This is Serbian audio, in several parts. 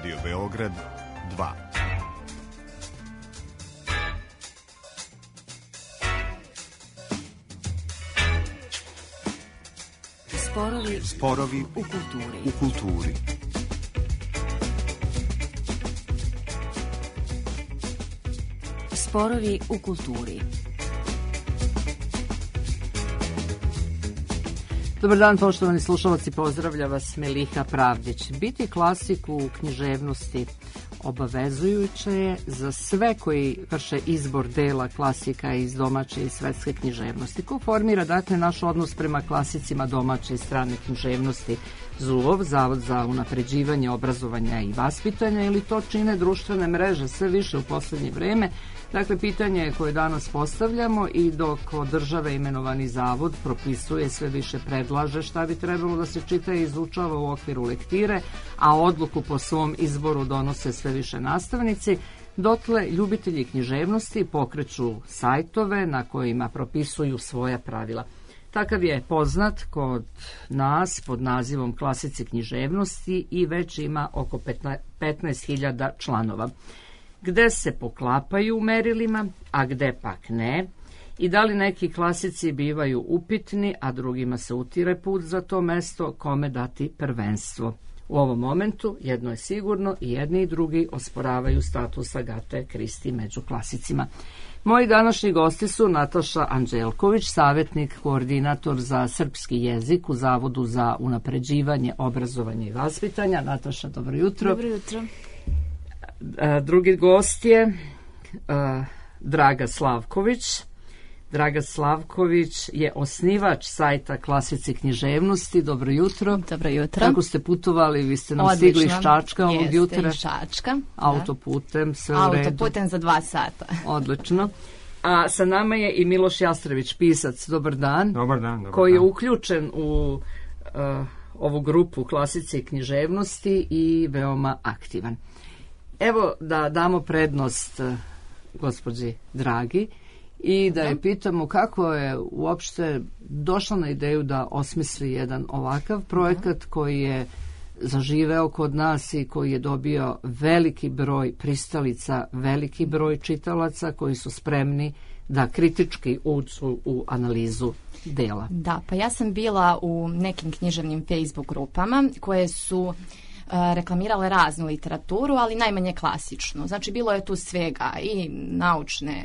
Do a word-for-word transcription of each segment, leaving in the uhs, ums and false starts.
Radio Beograd dva. Sporovi, Sporovi u kulturi. U kulturi. Sporovi u kulturi. Dobar dan, poštovani slušalci, pozdravlja vas Meliha Pravdić. Biti klasik u književnosti obavezujuće je za sve koji vrše izbor dela klasika iz domaće i svetske književnosti. Ko formira, dakle, naš odnos prema klasicima domaće i strane književnosti? ZUOV, Zavod za unapređivanje obrazovanja i vaspitanja, ili to čine društvene mreže sve više u poslednje vreme? Dakle, pitanje koje danas postavljamo, i dok od države imenovani zavod propisuje, sve više predlaže šta bi trebalo da se čita i izučava u okviru lektire, a odluku po svom izboru donose sve više nastavnici, dotle ljubitelji književnosti pokreću sajtove na kojima propisuju svoja pravila. Takav je poznat kod nas pod nazivom Klasici književnosti i već ima oko petnaest hiljada članova. Gde se poklapaju u merilima, a gde pak ne, i da li neki klasici bivaju upitni, a drugima se utire put za to mesto, kome dati prvenstvo. U ovom momentu jedno je sigurno, i jedni i drugi osporavaju status Agate Kristi među klasicima. Moji današnji gosti su Nataša Anđelković, savjetnik, koordinator za srpski jezik u Zavodu za unapređivanje obrazovanja i vaspitanja. Nataša, dobro jutro. Dobro jutro. Drugi gost je Draga Slavković. Draga Slavković je osnivač sajta Klasici književnosti. Dobro jutro. Dobro jutro. Kako ste putovali? Vi ste nam Odlično. Stigli iz Čačka ovog Jeste, jutra. iz Čačka. Autoputem, sve u redu. Autoputem za dva sata. Odlično. A sa nama je i Miloš Jastrević, pisac. Dobar dan. Dobar dan. Dobar koji dan. je uključen u uh, ovu grupu Klasici književnosti i veoma aktivan. Evo da damo prednost uh, gospođi Dragi i da je pitamo kako je uopšte došla na ideju da osmisli jedan ovakav projekat koji je zaživeo kod nas i koji je dobio veliki broj pristalica, veliki broj čitalaca koji su spremni da kritički uđu u analizu dela. Da, pa ja sam bila u nekim književnim Facebook grupama koje su reklamirale raznu literaturu, ali najmanje klasičnu. Znači, bilo je tu svega, i naučne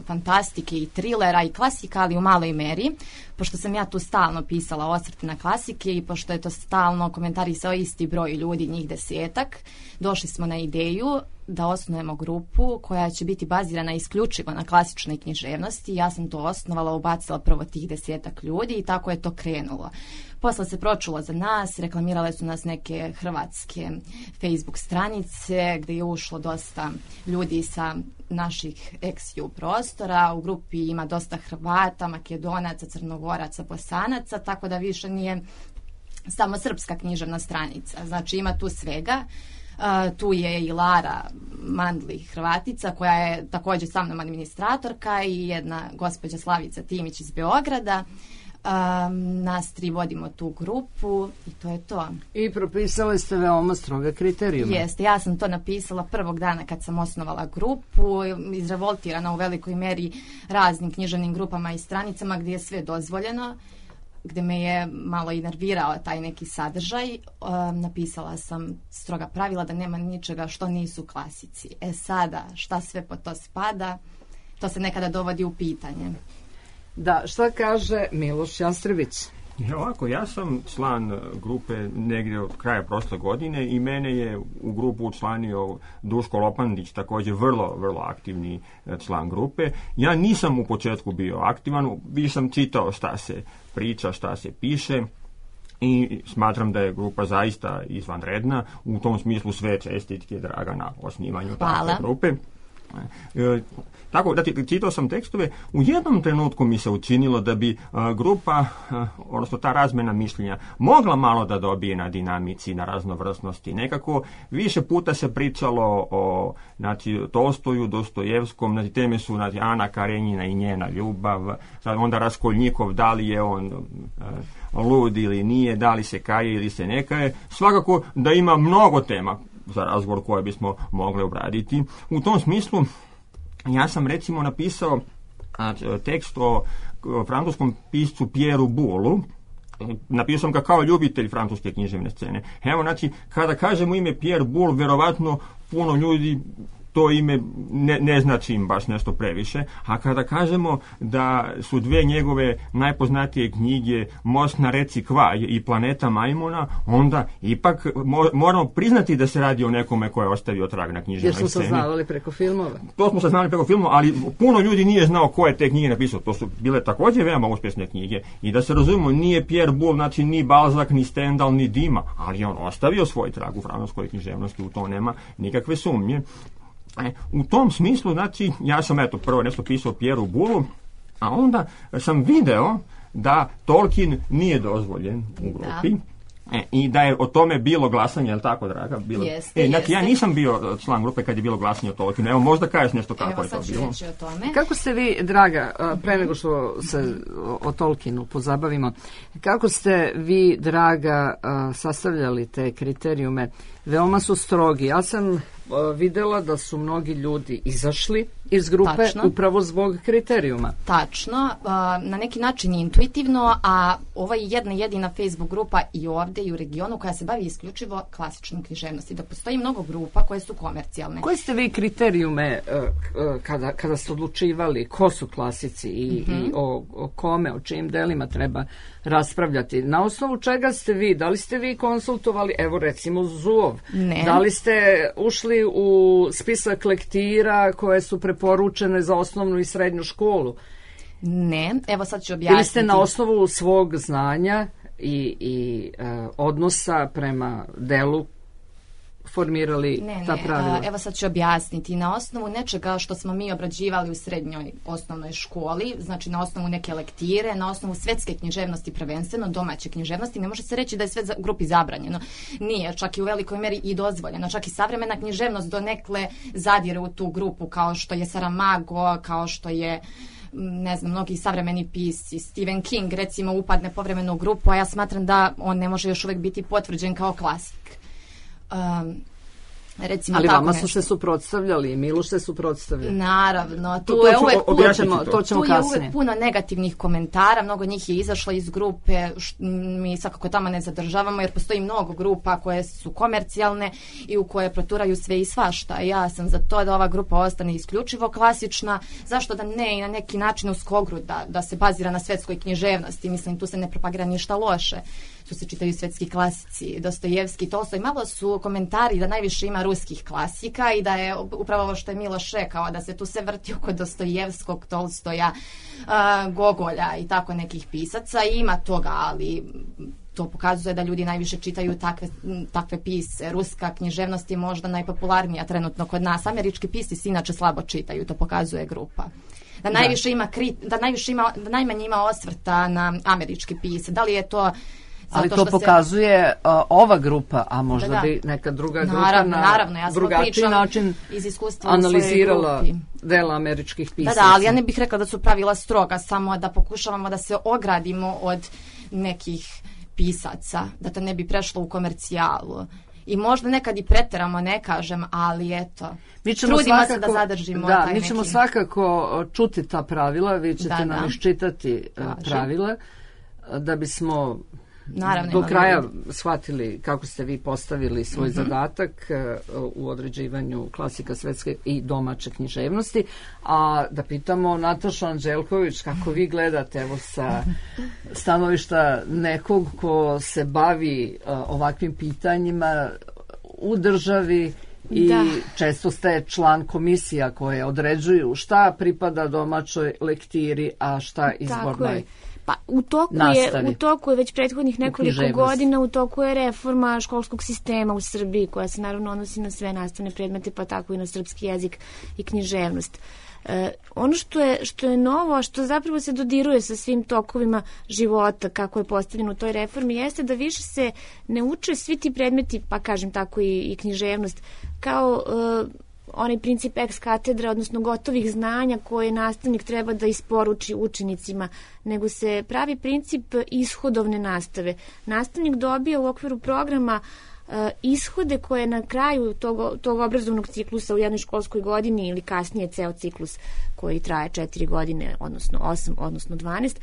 fantastike, i trilera, i klasika, ali u maloj meri. Pošto sam ja tu stalno pisala osvrte na klasike i pošto je to stalno komentarisao isti broj ljudi, njih desetak, došli smo na ideju da osnujemo grupu koja će biti bazirana isključivo na klasičnoj književnosti. Ja sam to osnovala, ubacila prvo tih desetak ljudi i tako je to krenulo. Posle se pročulo za nas, reklamirale su nas neke hrvatske Facebook stranice gdje je ušlo dosta ljudi sa naših ex-ju prostora. U grupi ima dosta Hrvata, Makedonaca, Crnogoraca, Bosanaca, tako da više nije samo srpska književna stranica. Znači ima tu svega. Uh, tu je i Lara Mandli, Hrvatica, koja je također sa mnom administratorka, i jedna gospođa Slavica Timić iz Beograda. Um, nas tri vodimo tu grupu i to je to. I propisali ste veoma stroge kriterijume. Jeste, ja sam to napisala prvog dana kad sam osnovala grupu, izrevoltirana u velikoj meri raznim književnim grupama i stranicama gdje je sve dozvoljeno, gdje me je malo i nervirao taj neki sadržaj. Um, napisala sam stroga pravila da nema ničega što nisu klasici. E sada, šta sve po to spada, to se nekada dovodi u pitanje. Da, šta kaže Miloš Jastrević? Ovako, ja sam član grupe negdje od kraja prošle godine i mene je u grupu učlanio Duško Lopandić, također vrlo, vrlo aktivni član grupe. Ja nisam u početku bio aktivan, više sam čitao šta se priča, šta se piše, i smatram da je grupa zaista izvanredna. U tom smislu sve čestitke Draga na osnivanju takve grupe. E, tako da ti čitao sam tekstove, u jednom trenutku mi se učinilo da bi a, grupa, a, odnosno ta razmjena mišljenja mogla malo da dobije na dinamici, na raznovrsnosti. Nekako više puta se pričalo o, znači, Tolstoju, Dostojevskom, znači, teme su, znači, Ana Karenjina i njena ljubav, onda Raskolnikov, da li je on a, lud ili nije, da li se kaje ili se ne kaje. Svakako da ima mnogo tema za razgovor koje bismo mogli obraditi. U tom smislu ja sam recimo napisao a, tekst o, o francuskom piscu Pierreu Bouleu. Napisao sam ga kao ljubitelj francuske književne scene. Evo, znači, kada kažemo ime Pierre Boulle, verovatno puno ljudi to ime ne, ne znači im baš nešto previše, a kada kažemo da su dve njegove najpoznatije knjige Most na reci Kvaj i Planeta majmuna, onda ipak mo, moramo priznati da se radi o nekome ko je ostavio trag na književnoj sceni. Jer smo saznavali preko filmova. To smo saznavali preko filmova, ali puno ljudi nije znao ko je te knjige napisao. To su bile također veoma uspješne knjige. I da se razumemo, nije Pierre Boulle, znači ni Balzac, ni Stendhal, ni Dima, ali on ostavio svoj trag u francuskoj književnosti, u to nema nikakve sumnje. E, u tom smislu, znači, ja sam eto prvo nešto pisao Pierreu Bouleu, a onda sam video da Tolkien nije dozvoljen u grupi. E, i da je o tome bilo glasanje, je li tako, draga? Bilo... Jeste, e, znači, jeste. ja nisam bio član grupe kad je bilo glasanje o Tolkienu. Evo, možda kažeš nešto kako Evo, je to sad ću bilo. reći o tome. Kako ste vi, draga, pre nego što se o Tolkienu pozabavimo, kako ste vi, draga, sastavljali te kriterijume? Veoma su strogi. Ja sam videla da su mnogi ljudi izašli iz grupe Tačno. upravo zbog kriterijuma. Tačno, na neki način intuitivno, a ovo je jedna jedina Facebook grupa i ovdje i u regionu koja se bavi isključivo klasičnom književnosti. Da postoji mnogo grupa koje su komercijalne. Koje ste vi kriterijume kada, kada ste odlučivali ko su klasici i, mm-hmm. i o, o kome, o čijim delima treba raspravljati? Na osnovu čega ste vi? Da li ste vi konsultovali, evo recimo Zuov? Ne. Da li ste ušli u spisak lektira koje su preporučene za osnovnu i srednju školu? Ne, evo sad ću objasniti. Ili ste na osnovu svog znanja i, i uh, odnosa prema delu formirali ne, ta ne, pravila? a, evo sad ću objasniti. Na osnovu nečega što smo mi obrađivali u srednjoj osnovnoj školi, znači na osnovu neke lektire, na osnovu svetske književnosti prvenstveno, domaće književnosti, ne može se reći da je sve u grupi zabranjeno. Nije, čak i u velikoj meri i dozvoljeno. Čak i savremena književnost donekle zadire u tu grupu, kao što je Saramago, kao što je ne znam, mnogi savremeni pisci, Stephen King recimo upadne povremeno u grupu, a ja smatram da on ne može još uvijek biti potvrđen kao klasik. Um, recimo ali tako vama nešto. su se suprotstavljali i Miloš se suprotstavljali. Naravno, tu to, to je ću, uvek o, puno, to ćemo, to ćemo tu kasnije. je uvek puno negativnih komentara, mnogo njih je izašlo iz grupe, š, mi svakako tamo ne zadržavamo jer postoji mnogo grupa koje su komercijalne i u koje proturaju sve i svašta. Ja sam za to da ova grupa ostane isključivo klasična, zašto da ne i na neki način u skogru da, da se bazira na svetskoj književnosti, mislim tu se ne propagira ništa loše. Tu se čitaju svetski klasici, Dostojevski, Tolstoj. Malo su komentari da najviše ima ruskih klasika i da je upravo ovo što je Miloš rekao, da se tu se vrti oko Dostojevskog, Tolstoja, uh, Gogolja i tako nekih pisaca. I ima toga, ali to pokazuje da ljudi najviše čitaju takve, takve pise. Ruska književnost je možda najpopularnija trenutno kod nas. Američki pisci se inače slabo čitaju, to pokazuje grupa. Da najviše da. ima kri, da najviše ima, da najmanje ima osvrta na američki pise. Da li je to ali to pokazuje se... uh, ova grupa, a možda da, da. bi neka druga grupa naravno, na naravno, ja drugačiji način iz iskustva analizirala dela američkih pisaca. Da, da, ali ja ne bih rekla da su pravila stroga, samo da pokušavamo da se ogradimo od nekih pisaca, da to ne bi prešlo u komercijalu. I možda nekad i preteramo, ne kažem, ali eto, mi ćemo trudimo svakako, se da zadržimo da, taj mi ćemo neki... svakako čuti ta pravila, vi ćete da, nam da. iščitati Kažem. pravila, da bismo Naravno, do kraja shvatili kako ste vi postavili svoj mm-hmm. zadatak uh, u određivanju klasika svetske i domaće književnosti, a da pitamo Natašu Anđelković kako vi gledate evo sa stanovišta nekog ko se bavi uh, ovakvim pitanjima u državi i da. često ste član komisija koje određuju šta pripada domaćoj lektiri, a šta izbornoj. Pa u toku je u toku je već prethodnih nekoliko godina u toku je reforma školskog sistema u Srbiji koja se naravno odnosi na sve nastavne predmete, pa tako i na srpski jezik i književnost. E, ono što je što je novo, a što zapravo se dodiruje sa svim tokovima života kako je postavljeno u toj reformi jeste da više se ne uče svi ti predmeti, pa kažem tako i, i književnost kao e, onaj princip ex katedra, odnosno gotovih znanja koje nastavnik treba da isporuči učenicima, nego se pravi princip ishodovne nastave. Nastavnik dobija u okviru programa ishode koje na kraju tog, tog obrazovnog ciklusa u jednoj školskoj godini ili kasnije ceo ciklus koji traje četiri godine, odnosno osam, odnosno dvanaest,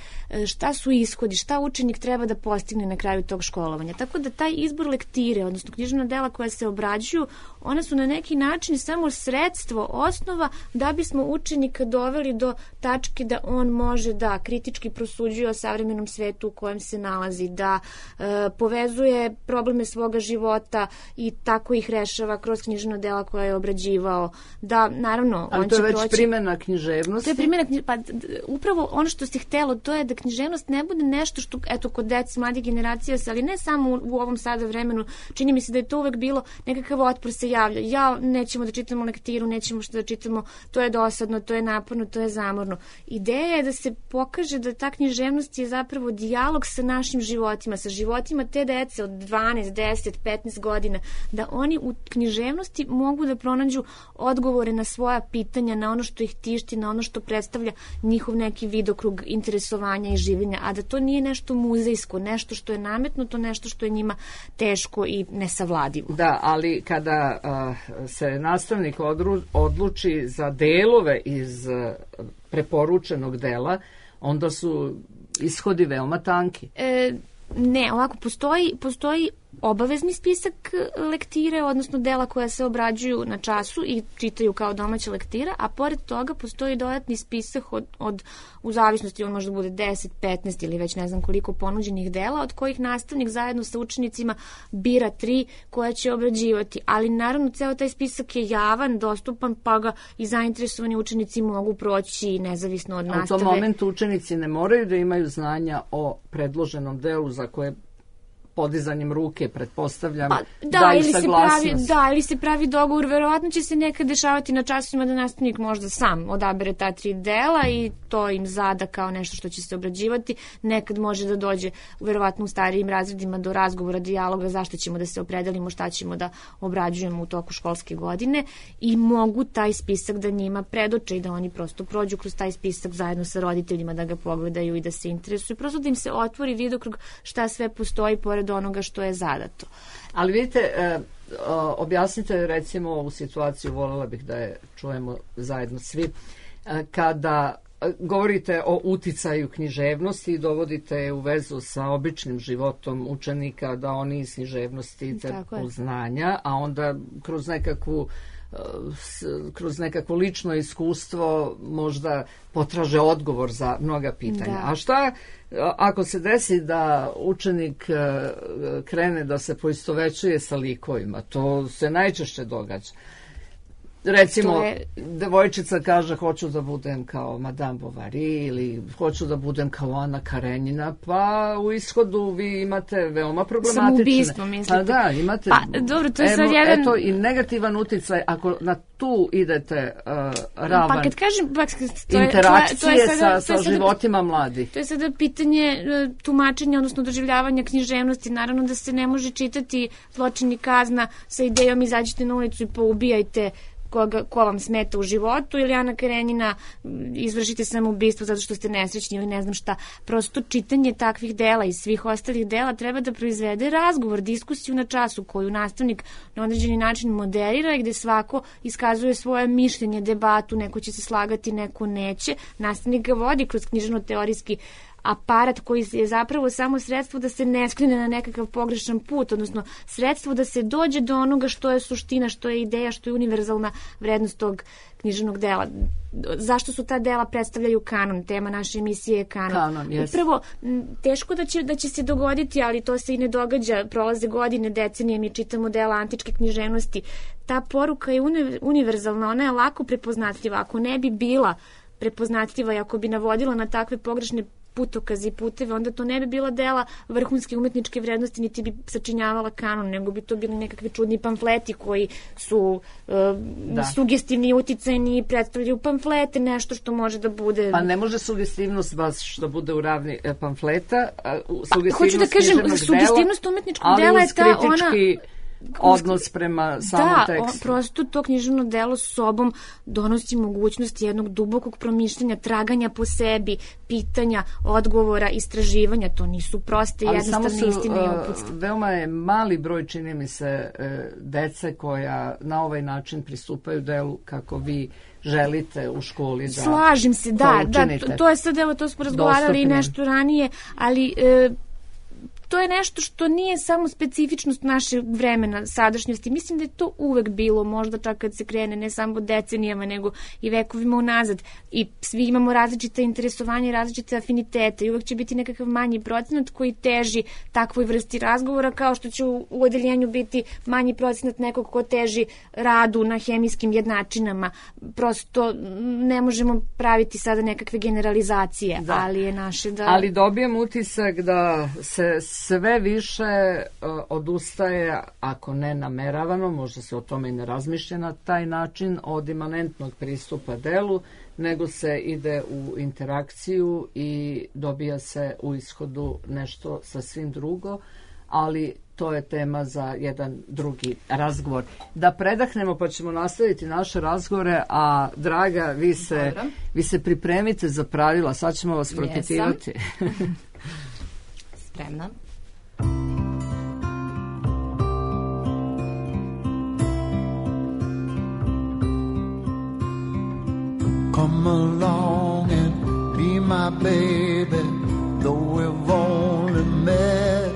šta su ishodi, šta učenik treba da postigne na kraju tog školovanja. Tako da taj izbor lektire, odnosno književna dela koja se obrađuju, ona su na neki način samo sredstvo, osnova da bismo učenika doveli do tačke da on može da kritički prosuđuje o savremenom svetu u kojem se nalazi, da e, povezuje probleme svoga života i tako ih rešava kroz književna dela koja je obrađivao. Da, naravno, ali on to je će već proći... primjena književnosti. To je primjena književnosti. Pa upravo ono što si htelo, to je da književnost ne bude nešto što, eto, kod dece, mladih generacija, ali ne samo u, u ovom sada vremenu, čini mi se da je to uvek bilo, nekakav otpor se javlja. Ja, nećemo da čitamo lektiru, nećemo što da čitamo, to je dosadno, to je naporno, to je zamorno. Ideja je da se pokaže da ta književnost je zapravo dijalog sa našim životima, sa životima te dece od dvanaest, deset, petnaest godina, da oni u književnosti mogu da pronađu odgovore na svoja pitanja, na ono što ih tišti, na ono što predstavlja njihov neki vidokrug interesovanja i življenja, a da to nije nešto muzejsko, nešto što je nametnuto, nešto što je njima teško i nesavladivo. Da, ali kada uh, se nastavnik odru, odluči za delove iz uh, preporučenog dela, onda su ishodi veoma tanki. E, ne, ovako, postoji, postoji obavezni spisak lektire, odnosno dela koja se obrađuju na času i čitaju kao domaća lektira, a pored toga postoji dodatni spisak od, od u zavisnosti, on može da bude deset, petnaest ili već ne znam koliko ponuđenih dela, od kojih nastavnik zajedno sa učenicima bira tri koja će obrađivati. Ali naravno ceo taj spisak je javan, dostupan, pa ga i zainteresovani učenici mogu proći nezavisno od nastave. A u tom momentu učenici ne moraju da imaju znanja o predloženom delu za koje podizanjem ruke, pretpostavljam, pa, da, daju ili saglasnost. Se pravi, da, ili se pravi dogovor. Verovatno će se nekad dešavati na časovima da nastavnik možda sam odabere ta tri dela i to im zada kao nešto što će se obrađivati. Nekad može da dođe, verovatno u starijim razredima, do razgovora, dijaloga, zašto ćemo da se opredelimo, šta ćemo da obrađujemo u toku školske godine i mogu taj spisak da njima predoče i da oni prosto prođu kroz taj spisak zajedno sa roditeljima, da ga pogledaju i da se interesuju. Prosto da im se otvori vidokrug šta sve postoji pored onoga što je zadato. Ali vidite, e, objasnite recimo ovu situaciju, voljela bih da je čujemo zajedno svi, e, kada govorite o uticaju književnosti i dovodite u vezu sa običnim životom učenika, da oni iz književnosti crpe znanja, a onda kroz nekakvu kroz nekako lično iskustvo možda potraže odgovor za mnoga pitanja. Da. A šta ako se desi da učenik krene da se poistovećuje sa likovima? To se najčešće događa. Recimo, je... devojčica kaže hoću da budem kao Madame Bovary ili hoću da budem kao Ana Karenjina, pa u ishodu vi imate veoma problematične. Samoubistvo, mislite? Pa da, imate pa, dobro, to je sad jedan... eto, i negativan uticaj ako na tu idete uh, ravan pa kad kažem, pa, to je, interakcije to je, to je sada, sa, to je sa životima mladih. To je sada pitanje tumačenja, odnosno doživljavanja književnosti. Naravno da se ne može čitati Zločin i kazna sa idejom izađite na ulicu i poubijajte koga, ko vam smeta u životu, ili Ana Karenjina izvršite samoubistvo zato što ste nesrećni ili ne znam šta. Prosto čitanje takvih dela i svih ostalih dela treba da proizvede razgovor, diskusiju na času koju nastavnik na određeni način moderira i gde svako iskazuje svoje mišljenje, debatu, neko će se slagati, neko neće. Nastavnik ga vodi kroz književno-teorijski aparat koji je zapravo samo sredstvo da se ne skrene na nekakav pogrešan put, odnosno sredstvo da se dođe do onoga što je suština, što je ideja, što je univerzalna vrednost tog književnog dela. Zašto su ta dela predstavljaju kanon? Tema naše emisije je kanon. Kanon, yes. Upravo, teško da će, da će se dogoditi, ali to se i ne događa. Prolaze godine, decenije, mi čitamo dela antičke književnosti. Ta poruka je univerzalna, ona je lako prepoznatljiva. Ako ne bi bila prepoznatljiva i ako bi navodila na takve pogrešne putokazi i puteve, onda to ne bi bila dela vrhunske umetničke vrednosti, niti bi sačinjavala kanon, nego bi to bili nekakvi čudni pamfleti koji su uh, sugestivni, uticajni, predstavljaju pamflete, nešto što može da bude... Pa ne može sugestivnost baš što bude u ravni pamfleta, sugestivnost pa, hoću da kažem, sugestivnost umetničkog dela je ta ona... odnos prema samom da, tekstu. Da, prosto to književno delo s sobom donosi mogućnost jednog dubokog promišljanja, traganja po sebi, pitanja, odgovora, istraživanja. To nisu proste i jednostavne istine i uputstva. Veoma je mali broj, čini mi se, dece koja na ovaj način pristupaju delu kako vi želite u školi da slažem se, da, da, to, to je sad, evo, to smo razgovarali dostupnim. I nešto ranije, ali e, to je nešto što nije samo specifičnost našeg vremena, sadašnjosti. Mislim da je to uvek bilo, možda čak kad se krene ne samo decenijama, nego i vekovima unazad. I svi imamo različite interesovanja i različite afinitete i uvek će biti nekakav manji procenat koji teži takvoj vrsti razgovora, kao što će u, u odeljenju biti manji procenat nekog ko teži radu na hemijskim jednačinama. Prosto ne možemo praviti sada nekakve generalizacije, da. Ali je naše da... Ali dobijem utisak da se sve više uh, odustaje, ako ne nameravano, možda se o tome i ne razmišlja na taj način, od imanentnog pristupa delu, nego se ide u interakciju i dobija se u ishodu nešto sasvim drugo, ali to je tema za jedan drugi razgovor. Da predahnemo pa ćemo nastaviti naše razgovore, a Draga, vi se, vi se pripremite za pravila, sad ćemo vas propitivati. Spremna. Come along and be my baby, though we've only met.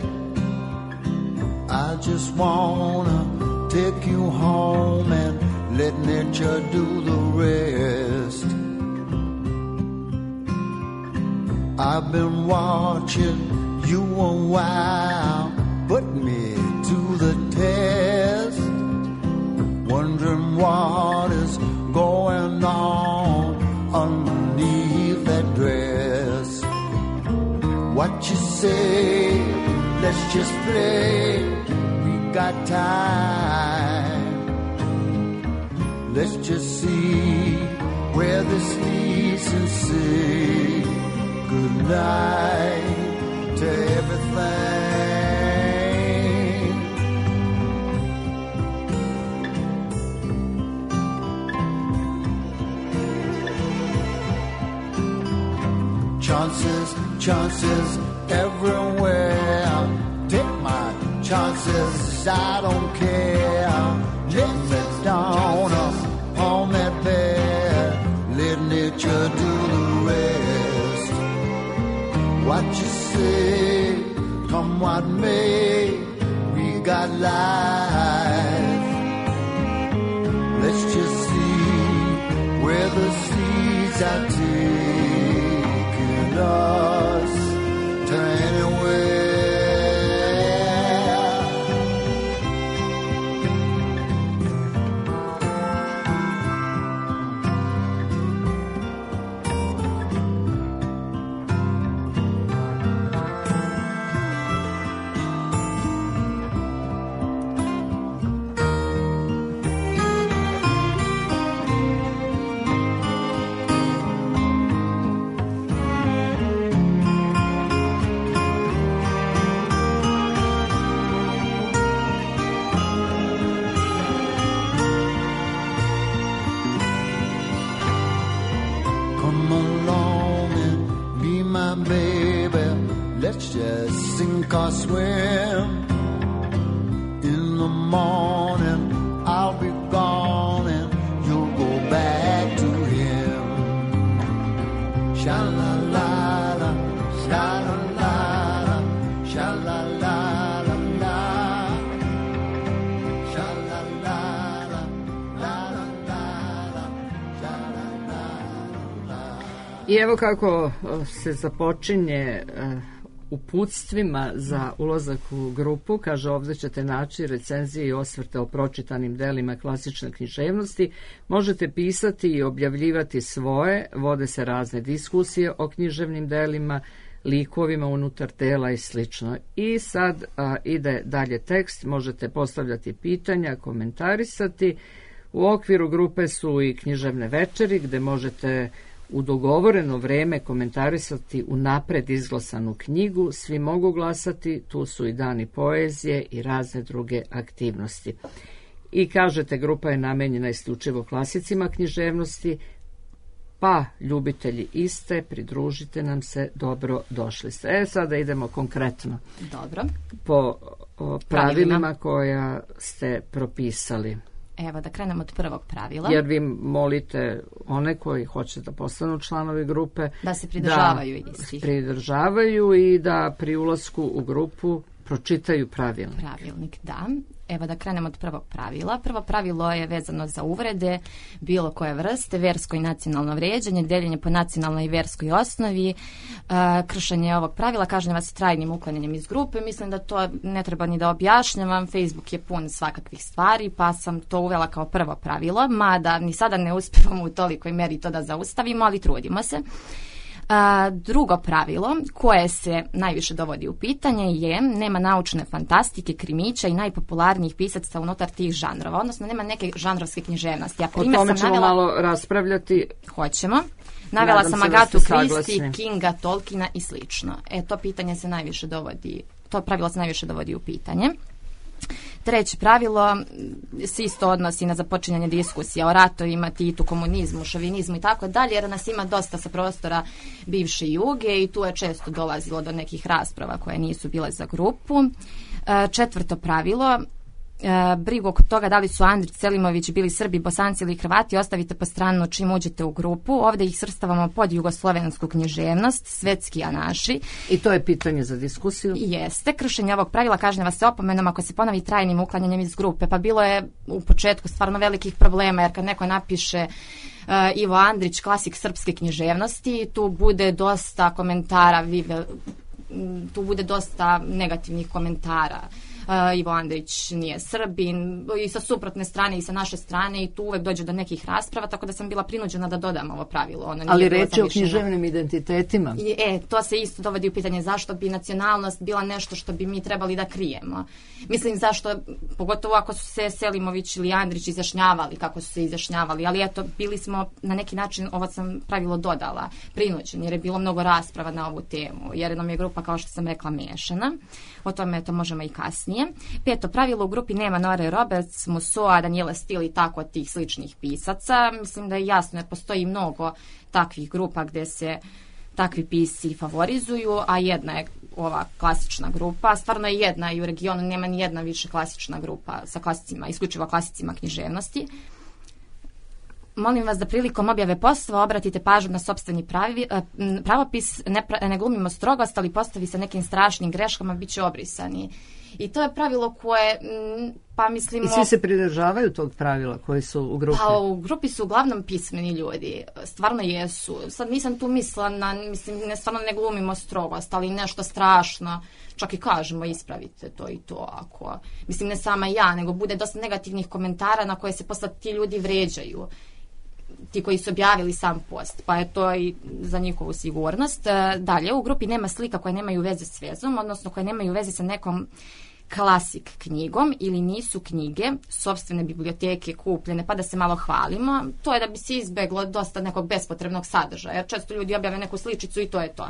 I just wanna take you home and let nature do the rest. I've been watching you a while, put me to the test, wondering what is going on underneath that dress. What you say, let's just play, we got time. Let's just see where this leads and say goodnight to everything. Chances, chances everywhere. Take my chances, I don't care. Let me down on that bed, let nature do the rest. What you say, come what may, we got life. Let's just see where the seeds are taking us to anywhere. Let's just sink or swim. In the morning I'll be gone and you'll go back to him. Sha-la-la-la, sha-la-la-la, sha-la-la-la-la, sha-la-la-la, la-la-la-la, sha-la-la-la. I evo kako se započinje uputstvima za ulazak u grupu. Kaže, ovdje ćete naći recenzije i osvrte o pročitanim delima klasične književnosti. Možete pisati i objavljivati svoje, vode se razne diskusije o književnim delima, likovima unutar tela i slično. I sad a, ide dalje tekst, možete postavljati pitanja, komentarisati. U okviru grupe su i književne večeri gdje možete u dogovoreno vreme komentarisati unapred izglasanu knjigu, svi mogu glasati, tu su i dani poezije i razne druge aktivnosti. I kažete, grupa je namenjena isključivo klasicima književnosti, pa ljubitelji iste, pridružite nam se, dobro došli ste. E, sada idemo konkretno. Dobro. Po o, pravilima koja ste propisali. Evo, da krenemo od prvog pravila. Jer vi molite one koji hoće da postanu članovi grupe da se pridržavaju istih. Da pridržavaju i da pri ulasku u grupu pročitaju pravilnik. Pravilnik, da. Evo da krenemo od prvog pravila. Prvo pravilo je vezano za uvrede, bilo koje vrste, versko i nacionalno vrijeđanje, deljenje po nacionalnoj i verskoj osnovi, e, kršenje ovog pravila kažnjava se trajnim uklanjanjem iz grupe. Mislim da to ne treba ni da objašnjavam, Facebook je pun svakakvih stvari, pa sam to uvela kao prvo pravilo, mada ni sada ne uspijemo u tolikoj meri to da zaustavimo, ali trudimo se. A, drugo pravilo koje se najviše dovodi u pitanje je nema naučne fantastike, krimića i najpopularnijih pisaca unutar tih žanrova, odnosno nema neke žanrovske književnosti. Ja o tome ćemo navela... malo raspravljati. Hoćemo. Navela sam Agatu Christie, Kinga, Tolkiena i slično. E, to pitanje se najviše dovodi, to pravilo se najviše dovodi u pitanje. Treće pravilo se isto odnosi na započinjanje diskusija o ratovima, Titu, komunizmu, šovinizmu i tako dalje, jer nas ima dosta sa prostora bivše Juge i tu je često dolazilo do nekih rasprava koje nisu bile za grupu. Četvrto pravilo, brigu oko toga da li su Andrić, Selimović bili Srbi, Bosanci ili Hrvati ostavite po stranu čim uđete u grupu. Ovdje ih svrstavamo pod jugoslovensku književnost, svetski a naši. I to je pitanje za diskusiju? Jeste. Kršenje ovog pravila kažnjava se opomenom ako se ponovi trajnim uklanjanjem iz grupe. Pa bilo je u početku stvarno velikih problema, jer kad neko napiše uh, Ivo Andrić, klasik srpske književnosti, tu bude dosta komentara, vive, tu bude dosta negativnih komentara. Uh, Ivo Andrić nije Srbin i sa suprotne strane i sa naše strane i tu uvek dođe do nekih rasprava, tako da sam bila prinuđena da dodam ovo pravilo. Ono ali reč je o književnim identitetima. I, e, to se isto dovodi u pitanje zašto bi nacionalnost bila nešto što bi mi trebali da krijemo. Mislim zašto, pogotovo ako su se Selimović ili Andrić izjašnjavali kako su se izjašnjavali, ali eto, bili smo na neki način, ovo sam pravilo dodala, prinuđeni, jer je bilo mnogo rasprava na ovu temu, jer nam je grupa, kao što sam rekla, miješana. O tome to možemo i kasnije. Peto pravilo, u grupi nema Nore Roberts, Musoa, Daniela Steele i tako tih sličnih pisaca. Mislim da je jasno, jer postoji mnogo takvih grupa gdje se takvi pisci favorizuju, a jedna je ova klasična grupa. Stvarno je jedna i u regionu nema ni jedna više klasična grupa sa klasicima, isključivo klasicima književnosti. Molim vas da prilikom objave postava obratite pažnju na sopstveni pravi, pravopis, ne, ne glumimo strogost, ali postavi sa nekim strašnim greškama bit će obrisani. I to je pravilo koje, pa mislimo... I svi se pridržavaju tog pravila koji su u grupi? Pa u grupi su uglavnom pismeni ljudi, stvarno jesu. Sad nisam tu mislila na, mislim, ne stvarno ne glumimo strogost, ali nešto strašno, čak i kažemo ispravite to i to, ako, mislim ne sama ja, nego bude dosta negativnih komentara na koje se posle ti ljudi vređaju, ti koji su objavili sam post, pa je to i za njihovu sigurnost. Dalje, u grupi nema slika koje nemaju veze s vezom, odnosno koje nemaju veze sa nekom klasik knjigom ili nisu knjige sopstvene biblioteke kupljene pa da se malo hvalimo. To je da bi se izbeglo dosta nekog bespotrebnog sadržaja, jer često ljudi objave neku sličicu i to je to.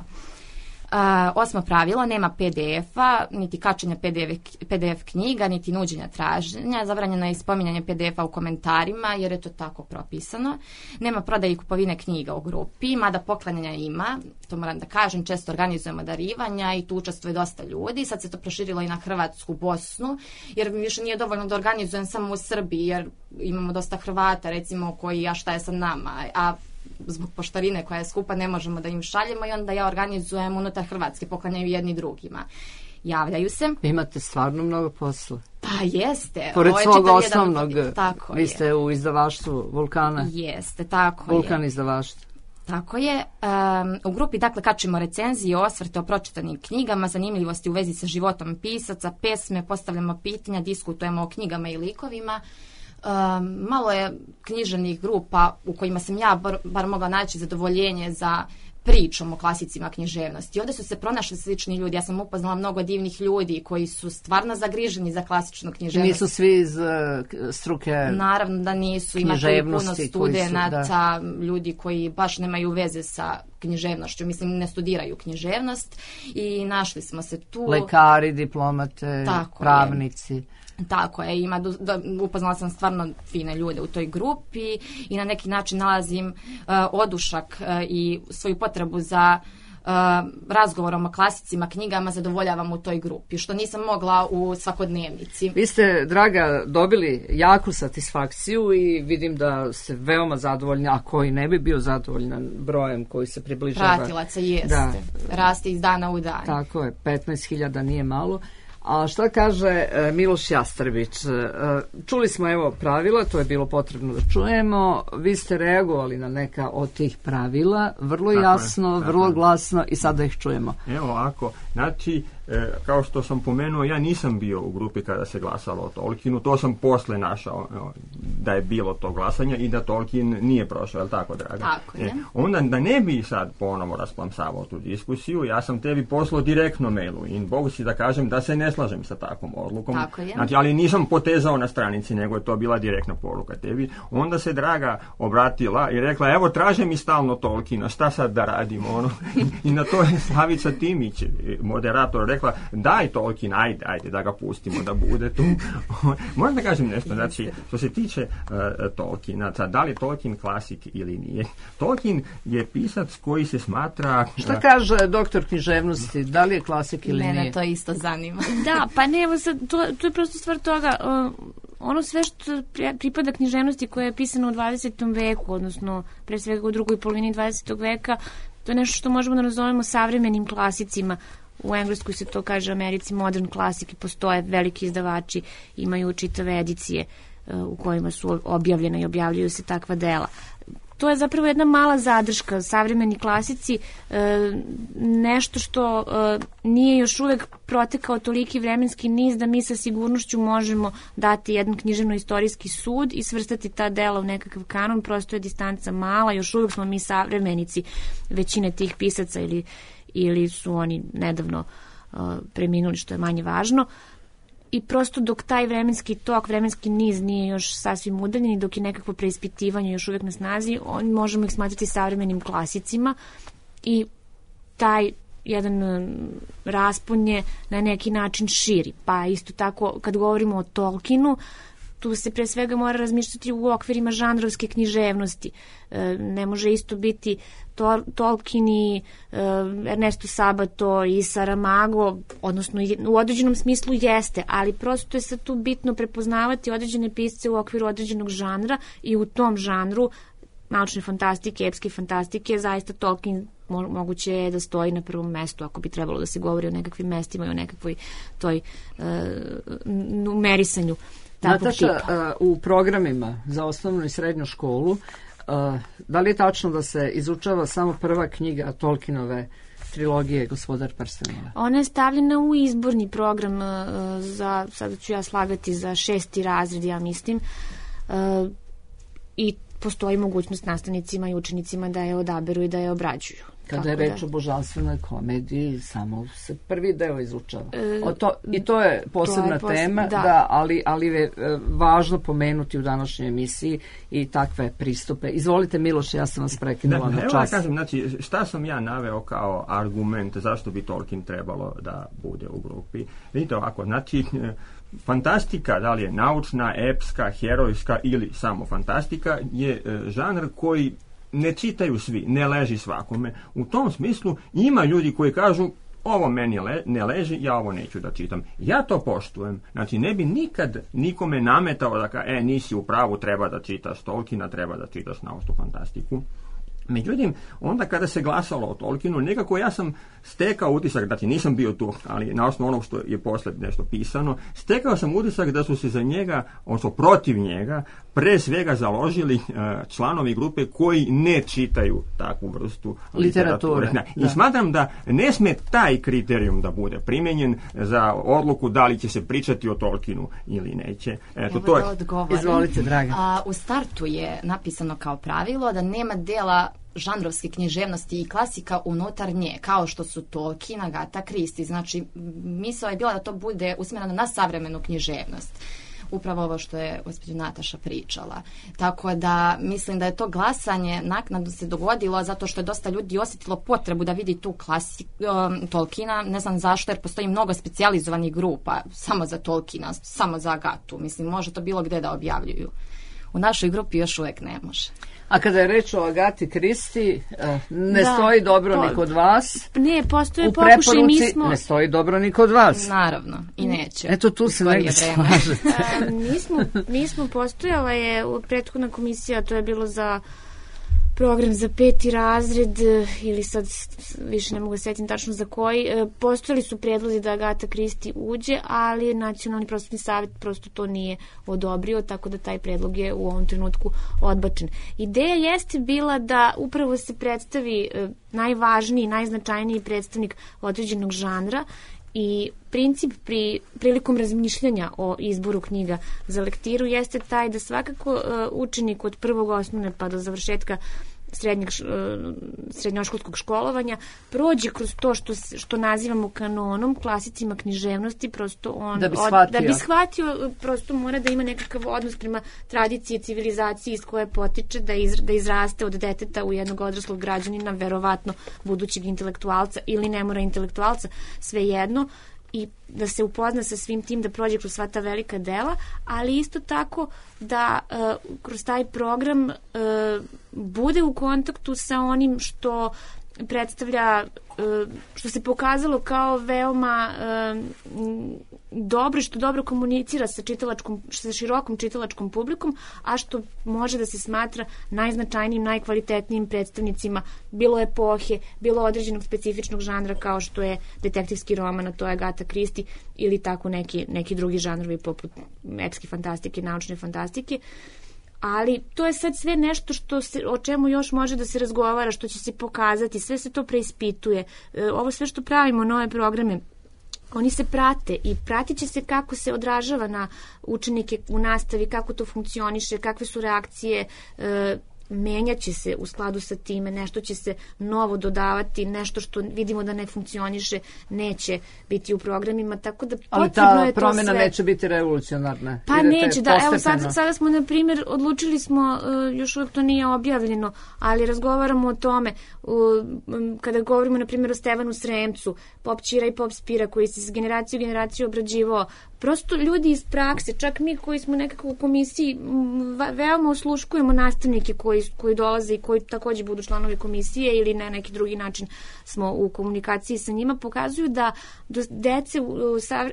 Uh, osmo pravilo, nema P D F-a, niti kačenja P D F, P D F knjiga, niti nuđenja traženja. Zabranjeno je spominjanje P D F-a u komentarima, jer je to tako propisano. Nema prodaje i kupovine knjiga u grupi, mada poklanjanja ima, to moram da kažem, često organizujemo darivanja i tu učestvuje dosta ljudi. Sad se to proširilo i na Hrvatsku, Bosnu, jer više nije dovoljno da organizujem samo u Srbiji, jer imamo dosta Hrvata, recimo, koji, a šta je sa nama, a zbog poštarine koja je skupa ne možemo da im šaljemo i onda ja organizujem unutar Hrvatske, poklanjaju jedni drugima. Javljaju se. Imate stvarno mnogo posla. Pa jeste. Pored svog osnovnog, tako vi ste je. U izdavaštvu Vulkana. Jeste, tako Vulkan je. Vulkan izdavaštvo. Tako je. Um, u grupi dakle kačimo recenzije, osvrte o pročitanim knjigama, zanimljivosti u vezi sa životom pisaca, pesme, postavljamo pitanja, diskutujemo o knjigama i likovima. Um, malo je književnih grupa u kojima sam ja bar, bar mogla naći zadovoljenje za pričom o klasicima književnosti. Ovdje su se pronašli slični ljudi. Ja sam upoznala mnogo divnih ljudi koji su stvarno zagriženi za klasičnu književnost. Nisu svi iz uh, struke Naravno da nisu. Ima tu puno studenata, su, ljudi koji baš nemaju veze sa književnošću. Mislim, ne studiraju književnost i našli smo se tu. Lekari, diplomate, tako pravnici. Je. Tako je, ima, da, upoznala sam stvarno fine ljude u toj grupi i na neki način nalazim uh, odušak uh, i svoju potrebu za uh, razgovorom o klasicima, knjigama zadovoljavam u toj grupi, što nisam mogla u svakodnevnici. Vi ste, draga, dobili jaku satisfakciju i vidim da ste veoma zadovoljni, a koji ne bi bio zadovoljan brojem koji se približava. Pratilaca jeste, da. Raste iz dana u dan. Tako je, petnaest hiljada nije malo. A šta kaže e, Miloš Jastrbić? E, čuli smo evo pravila, to je bilo potrebno da čujemo. Vi ste reagovali na neka od tih pravila, vrlo tako jasno, je, vrlo je. Glasno i sada ih čujemo. Evo ovako, znači, e, kao što sam pomenuo, ja nisam bio u grupi kada se glasalo o Tolkienu, to sam posle našao evo, da je bilo to glasanje i da Tolkien nije prošao, je li tako, draga? Tako je. E, onda da ne bi sad ponovo rasplamsavao tu diskusiju, ja sam tebi poslao direktno mailu i Bogu si da kažem da se ne slažem sa takvom odlukom. Tako je. Znači, ali nisam potezao na stranici, nego je to bila direktna poruka tebi. Onda se draga obratila i rekla, evo traže mi stalno Tolkiena, šta sad da radimo? Ono? I na to je Slavica Timić, moderator, rekla, daj Tolkien, ajde, ajde, da ga pustimo da bude tu. Moram da kažem nešto, znači, što se tiče uh, Tolkiena, da li je Tolkien klasik ili nije? Tolkien je pisac koji se smatra... Uh, šta kaže doktor književnosti, da li je klasik ili Mene nije? Mene to isto zanima. Da, pa ne, evo sad, to, to je prosto stvar toga, uh, ono sve što pripada književnosti koja je pisana u dvadesetom veku, odnosno pre svega u drugoj polovini dvadesetog veka, to je nešto što možemo da nazovemo savremenim klasicima. U Engleskoj se to kaže, u Americi modern classic, postoje veliki izdavači, imaju čitave edicije uh, u kojima su objavljena i objavljuju se takva dela. To je zapravo jedna mala zadrška, savremeni klasici, e, nešto što e, nije još uvek protekao toliki vremenski niz da mi sa sigurnošću možemo dati jedan književno-istorijski sud i svrstati ta dela u nekakav kanon, prosto je distanca mala, još uvek smo mi savremenici većine tih pisaca ili, ili su oni nedavno e, preminuli, što je manje važno. I prosto dok taj vremenski tok, vremenski niz nije još sasvim udaljen i dok je nekakvo preispitivanje još uvijek na snazi, on, možemo ih smatrati savremenim klasicima i taj jedan raspon je na neki način širi. Pa isto tako kad govorimo o Tolkienu, tu se pre svega mora razmišljati u okvirima žanrovske književnosti. E, ne može isto biti to, Tolkien i e, Ernesto Sabato i Saramago, odnosno u određenom smislu jeste, ali prosto je sad tu bitno prepoznavati određene pisce u okviru određenog žanra i u tom žanru naučne fantastike, epske fantastike, zaista Tolkien mo- moguće je da stoji na prvom mestu ako bi trebalo da se govori o nekakvim mestima i o nekakvoj toj e, numerisanju. Nataša, uh, u programima za osnovnu i srednju školu, uh, da li je tačno da se izučava samo prva knjiga Tolkienove trilogije Gospodar prstenova? Ona je stavljena u izborni program uh, za, sada ću ja slagati, za šesti razred, ja mislim, uh, i postoji mogućnost nastavnicima i učenicima da je odaberu i da je obrađuju. Kada je reč da. o božanstvenoj komediji, samo se prvi deo izučava. E, o to, I to je posebna to je posle, tema, da. Da, ali, ali je važno pomenuti u današnjoj emisiji i takve pristupe. Izvolite, Miloš, ja sam vas prekinula na čas. Evo da kažem, znači, šta sam ja naveo kao argument zašto bi Tolkien trebalo da bude u grupi? Vidite ovako, znači, fantastika, da li je naučna, epska, herojska ili samo fantastika, je žanr koji ne čitaju svi, ne leži svakome. U tom smislu ima ljudi koji kažu ovo meni le, ne leži, ja ovo neću da čitam. Ja to poštujem. Znači, ne bi nikad nikome nametao da ka, e, nisi u pravu, treba da čitaš Tolkiena, treba da čitaš naučnu fantastiku. Međutim, onda kada se glasalo o Tolkienu, nekako ja sam stekao utisak, znači nisam bio tu, ali na osnovu onog što je posle nešto pisano, stekao sam utisak da su se za njega, odnosno protiv njega, pre svega založili uh, članovi grupe koji ne čitaju takvu vrstu literature. literature. I smatram da ne sme taj kriterijum da bude primenjen za odluku da li će se pričati o Tolkienu ili neće. Eto, to je... Izvolite, draga. A, u startu je napisano kao pravilo da nema dela žanrovske književnosti i klasika unutar nje, kao što su Tolkien, Agatha Christie. Znači, misao je bila da to bude usmjereno na savremenu književnost. Upravo ovo što je gospođa Nataša pričala. Tako da mislim da je to glasanje naknadno se dogodilo zato što je dosta ljudi osjetilo potrebu da vidi tu klasiku um, Tolkiena. Ne znam zašto, jer postoji mnogo specijalizovanih grupa samo za Tolkiena, samo za Agatu. Mislim, može to bilo gde da objavljuju. U našoj grupi još uvijek ne može. A kada je reč o Agati Kristi, ne da, stoji dobro to, ni kod vas. Ne, postoje pokušaj, mi smo... ne stoji dobro ni kod vas. Naravno, i neće. Eto, tu se negdje slažete. mi, smo, mi smo postojala je prethodna komisija, to je bilo za program za peti razred ili sad više ne mogu sjetiti tačno za koji. Postojali su predlozi da Agata Christie uđe, ali Nacionalni prosvetni savjet prosto to nije odobrio, tako da taj predlog je u ovom trenutku odbačen. Ideja jeste bila da upravo se predstavi najvažniji, najznačajniji predstavnik određenog žanra i princip pri, prilikom razmišljanja o izboru knjiga za lektiru jeste taj da svakako uh, učenik od prvog osnovne pa do završetka srednjeg, uh, srednjoškolskog školovanja prođe kroz to što, što nazivamo kanonom, klasicima književnosti, prosto on da bi shvatio, od, da bi shvatio prosto mora da ima nekakav odnos prema tradiciji, civilizaciji iz koje potiče, da, iz, da izraste od deteta u jednog odraslog građanina, verovatno budućeg intelektualca ili ne mora intelektualca, svejedno, i da se upozna sa svim tim, da prođe kroz sva ta velika dela, ali isto tako da uh, kroz taj program uh, bude u kontaktu sa onim što predstavlja, uh, što se pokazalo kao veoma uh, dobro, što dobro komunicira sa čitalačkom, sa širokom čitalačkom publikom, a što može da se smatra najznačajnijim, najkvalitetnijim predstavnicima bilo epohe, bilo određenog specifičnog žanra kao što je detektivski roman, a to je Agatha Christie, ili tako neki, neki drugi žanrovi poput epske fantastike, naučne fantastike. Ali to je sad sve nešto što se, o čemu još može da se razgovara, što će se pokazati, sve se to preispituje. E, ovo sve što pravimo, nove programe, oni se prate i pratit će se kako se odražava na učenike u nastavi, kako to funkcioniše, kakve su reakcije, e, menjat će se u skladu sa time, nešto će se novo dodavati, nešto što vidimo da ne funkcioniše neće biti u programima, tako da potrebno je to sve. Ali ta promjena neće biti revolucionarna. Pa neće, da, evo sad, sada smo, na primjer, odlučili smo, uh, još uvijek to nije objavljeno, ali razgovaramo o tome, uh, kada govorimo, na primjer, o Stevanu Sremcu, Pop Ćira i Pop Spira, koji se s generaciju u generaciju obrađivao, prosto ljudi iz prakse, čak mi koji smo nekako u komisiji, veoma osluškujemo nastavnike koji, koji dolaze i koji također budu članovi komisije ili na neki drugi način smo u komunikaciji sa njima, pokazuju da do dece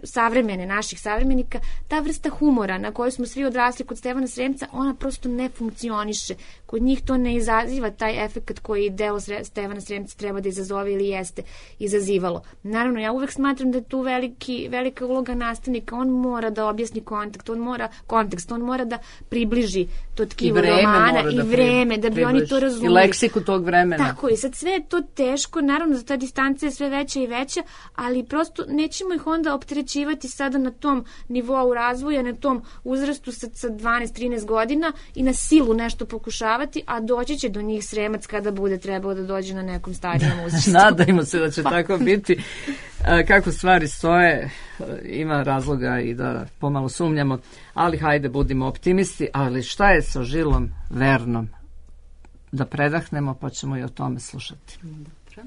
savremene, naših savremenika, ta vrsta humora na kojoj smo svi odrasli kod Stevana Sremca, ona prosto ne funkcioniše. Kod njih to ne izaziva taj efekt koji delo Stevana Sremca treba da izazove ili jeste izazivalo. Naravno, ja uvek smatram da je tu veliki, velika uloga nastavnika. On mora da objasni kontekst, on mora, kontekst, on mora da približi to tkivo romana i vreme, da bi približi oni to razumeli. I leksiku tog vremena. Tako je, sad sve je to teško, naravno da ta distanca je sve veća i veća, ali prosto nećemo ih onda opterećivati sada na tom nivou razvoja, na tom uzrastu sa, sa dvanaest trinaest godina i na silu nešto pokušavati, a doći će do njih Sremac kada bude trebao da dođe na nekom stadionu uzrastu. Nadajmo se da će pa. tako biti. Kako stvari stoje, ima razloga i da pomalo sumnjamo, ali hajde budimo optimisti, ali šta je sa Žilom Vernom? Da predahnemo pa ćemo i o tome slušati. Dobro.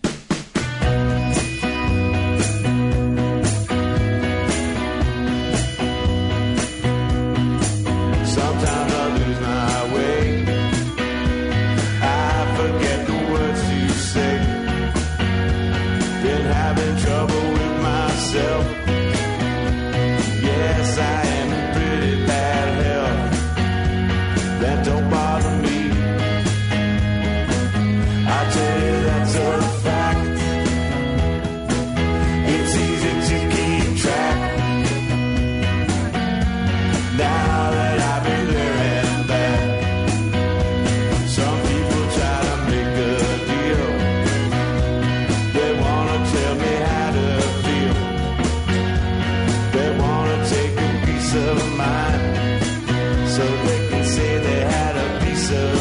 Yes, I am in pretty bad health. That don't bother me. I tell you that's a fact. It's easy to keep track. Now that I've been there and back, some people try to make a deal. They wanna tell me how to feel. They wanna take a piece of mine so they can say they had a piece of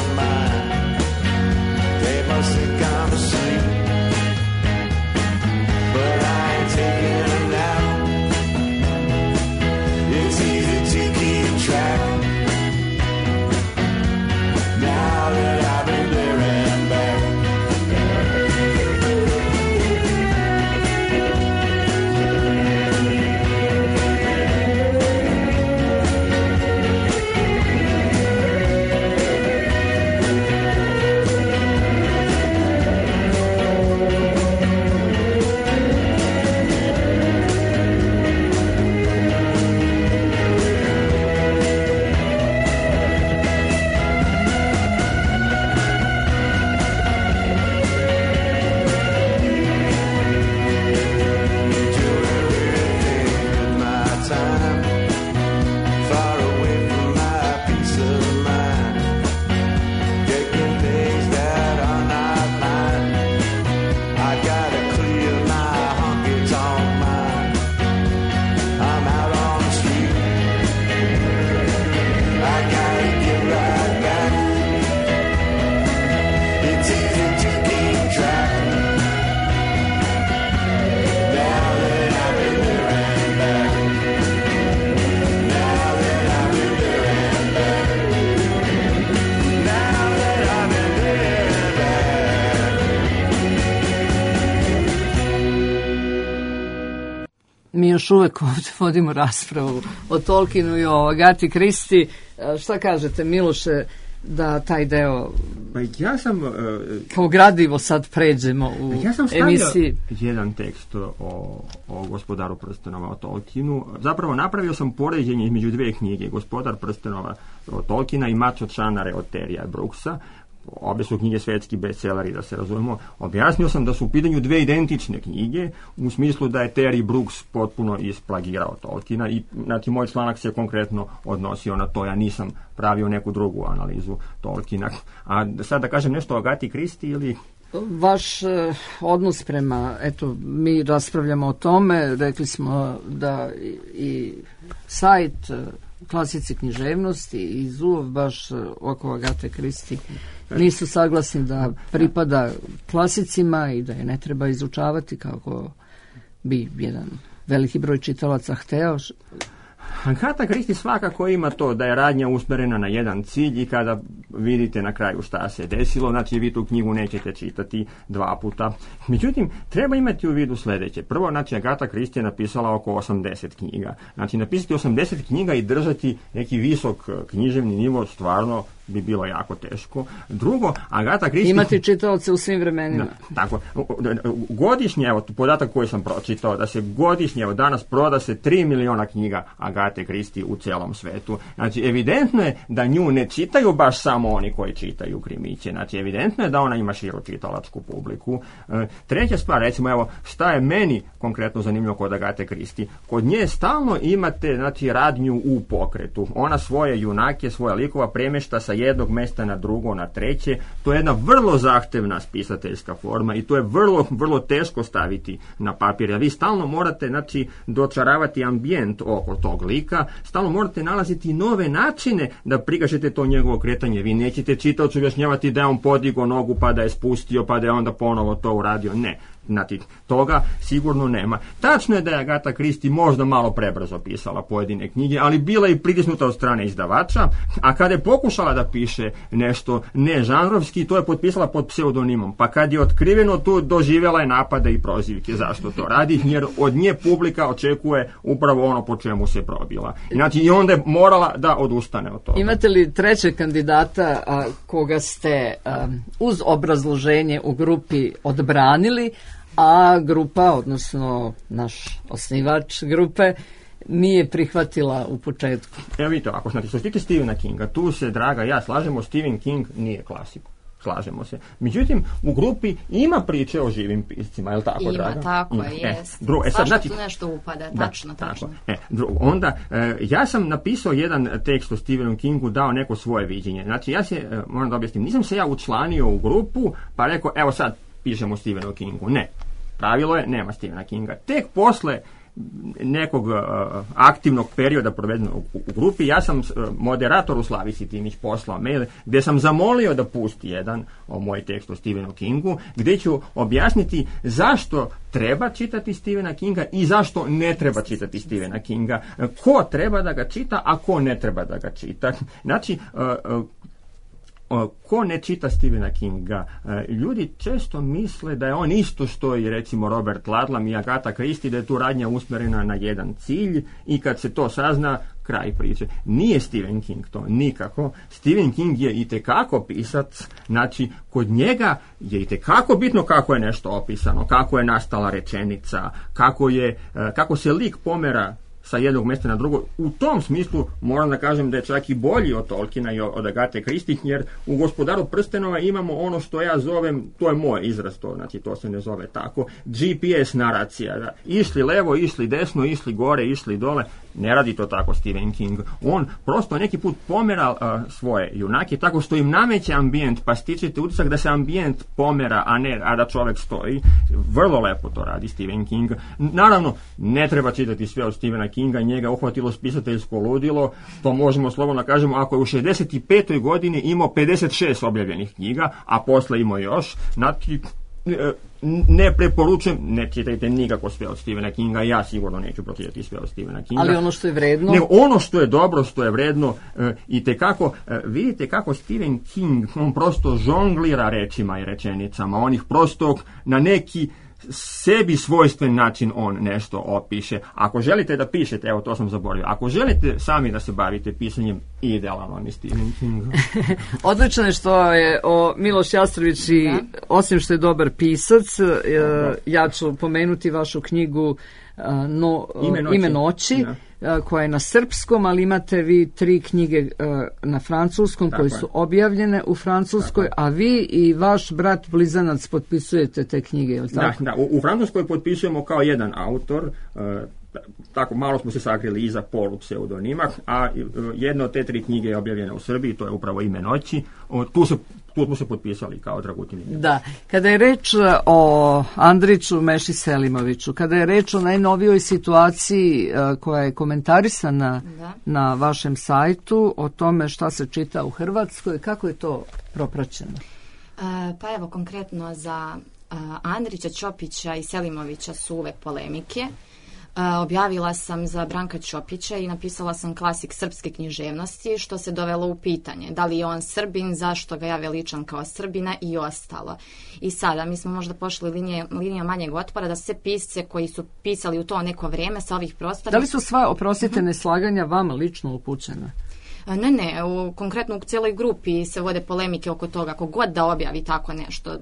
još uvek ovdje vodimo raspravu o Tolkienu i o Agati Kristi. Šta kažete, Miloše, da taj deo pa ja sam, uh, kao gradivo sad pređemo u ja sam emisiji? Jedan tekst o, o Gospodaru prstenova, o Tolkienu. Zapravo napravio sam poređenje između dvije knjige, Gospodar prstenova od Tolkiena i Mač od Šanare od Terija Brooksa. Obje su knjige svetski bestselleri, da se razumemo. Objasnio sam da su u pitanju dve identične knjige, u smislu da je Terry Brooks potpuno isplagirao Tolkiena i znači moj članak se konkretno odnosio na to, ja nisam pravio neku drugu analizu Tolkiena. A sad da kažem nešto o Agati Kristi ili... Vaš eh, odnos prema, eto, mi raspravljamo o tome, rekli smo da i, i sajt eh, klasici književnosti i Zulov baš eh, oko Agate Kristi nisu saglasni da pripada klasicima i da je ne treba izučavati kako bi jedan veliki broj čitalaca hteo. Agata Kristi svakako ima to da je radnja usmjerena na jedan cilj i kada vidite na kraju šta se desilo, znači vi tu knjigu nećete čitati dva puta. Međutim, treba imati u vidu sljedeće. Prvo, znači Agata Kristi je napisala oko osamdeset knjiga. Znači napisati osamdeset knjiga i držati neki visok književni nivo stvarno bi bilo jako teško. Drugo, Agata Kristi... Imati čitaoce u svim vremenima. Da, tako. Godišnje, evo, podatak koji sam pročitao, da se godišnje, evo danas proda se tri miliona knjiga Agate Kristi u celom svetu. Znači, evidentno je da nju ne čitaju baš samo oni koji čitaju krimiće. Znači, evidentno je da ona ima širu čitalačku publiku. E, treća stvar, recimo, evo, šta je meni konkretno zanimljivo kod Agate Kristi? Kod nje stalno imate, znači, radnju u pokretu. Ona svoje junake, svoje likova premješta sa jednog mjesta na drugo, na treće. To je jedna vrlo zahtevna spisateljska forma i to je vrlo, vrlo teško staviti na papir. A vi stalno morate, znači, dočaravati ambijent oko tog lika, stalno morate nalaziti nove načine da prikažete to njegovo kretanje. Vi nećete čitaocu objašnjavati da je on podigao nogu pa da je spustio pa da je onda ponovo to uradio. Ne. Znači, toga sigurno nema. Tačno je da je Agata Kristi možda malo prebrzo pisala pojedine knjige, ali bila je pritisnuta od strane izdavača, a kada je pokušala da piše nešto nežanrovski, to je potpisala pod pseudonimom. Pa kad je otkriveno, tu doživjela je napade i prozivke. Zašto to radi? Jer od nje publika očekuje upravo ono po čemu se probila. Znači, i onda je morala da odustane od toga. Imate li trećeg kandidata a, koga ste a, uz obrazloženje u grupi odbranili, a grupa, odnosno naš osnivač grupe, nije prihvatila u početku? Evo vidite, ako znači, što se tiče Stephena Kinga, tu se, draga, ja slažemo, Stephen King nije klasik. Slažemo se. Međutim, u grupi ima priče o živim piscima, je li tako, ima, draga? Ima, tako je, e, jest. Dru, e, sad, znači, tu nešto upada, da, tačno, tačno. E, dru, onda, e, ja sam napisao jedan tekst o Stephenu Kingu, dao neko svoje viđenje. Znači, ja se, e, moram da objasnim, nisam se ja učlanio u grupu, pa rekao, evo sad, pišemo o Stephenu Kingu. Ne. Pravilo je, nema Stephena Kinga. Tek posle nekog uh, aktivnog perioda provedenog u, u grupi, ja sam uh, moderatoru Slavici Timić poslao mail gdje sam zamolio da pusti jedan o moj tekst o Stephenu Kingu, gdje ću objasniti zašto treba čitati Stephena Kinga i zašto ne treba čitati Stephena Kinga. Ko treba da ga čita, a ko ne treba da ga čita. Znači, uh, uh, ko ne čita Stephena Kinga, ljudi često misle da je on isto što i recimo Robert Ludlum i Agata Kristi, da je tu radnja usmjerena na jedan cilj i kad se to sazna, kraj priče. Nije Stephen King to, nikako. Stephen King je itekako pisac, znači kod njega je itekako bitno kako je nešto opisano, kako je nastala rečenica, kako, je, kako se lik pomera sa jednog mjesta na drugo. U tom smislu moram da kažem da je čak i bolji od Tolkiena i od Agate Kristi, jer u Gospodaru prstenova imamo ono što ja zovem, to je moj izraz, to, znači to se ne zove tako, G P S naracija, da išli levo, išli desno, išli gore, išli dole. Ne radi to tako Stephen King. On prosto neki put pomera uh, svoje junake tako što im nameće ambijent, pa stičete utisak da se ambijent pomera, a ne a da čovjek stoji. Vrlo lepo to radi Stephen King. Naravno, ne treba čitati sve od Stephena Kinga, njega uhvatilo spisateljsko ludilo, to možemo slobodno kažemo, ako je u šezdeset petoj godini imao pedeset šest objavljenih knjiga, a posle imao još, znači, ne preporučujem, ne čitajte nikako sve od Stephena Kinga, ja sigurno neću pročitati sve od Stephena Kinga. Ali ono što je vredno? Ne, ono što je dobro, što je vredno, e, i tekako, e, vidite kako Stephen King, on prosto žonglira rečima i rečenicama, on ih prosto na neki sebi svojstven način on nešto opiše. Ako želite da pišete, evo to sam zaboravio, ako želite sami da se bavite pisanjem, idealan vam je Stephen King. Odlično je što je o Miloš Jastrović i da. Osim što je dobar pisac, da. Ja ću pomenuti vašu knjigu no, Ime noći, Ime noći da. Koja je na srpskom, ali imate vi tri knjige na francuskom tako koje su objavljene u Francuskoj, tako a vi i vaš brat blizanac potpisujete te knjige, je li tako? Da, da, u, u Francuskoj potpisujemo kao jedan autor, tako malo smo se sakrili iza polu pseudonima, a jedna od te tri knjige je objavljena u Srbiji, to je upravo Ime noći. Tu se tu smo se potpisali kao Dragutin. Da, kada je reč o Andriću Meši Selimoviću, kada je reč o najnovijoj situaciji koja je komentarisana da. Na vašem sajtu, o tome šta se čita u Hrvatskoj, kako je to propraćeno? E, pa evo, konkretno za uh, Andrića, Ćopića i Selimovića su uvek polemike. Uh, objavila sam za Branka Ćopića i napisala sam klasik srpske književnosti, što se dovelo u pitanje. Da li je on Srbin, zašto ga ja veličam kao Srbina i ostalo. I sada, mi smo možda pošli linije, linija manjeg otpora da sve pisce koji su pisali u to neko vrijeme sa ovih prostora... Da li su sva, oprostite, neslaganja vama lično upućena? Ne, ne, u, konkretno u cijeloj grupi se vode polemike oko toga, ako god da objavi tako nešto,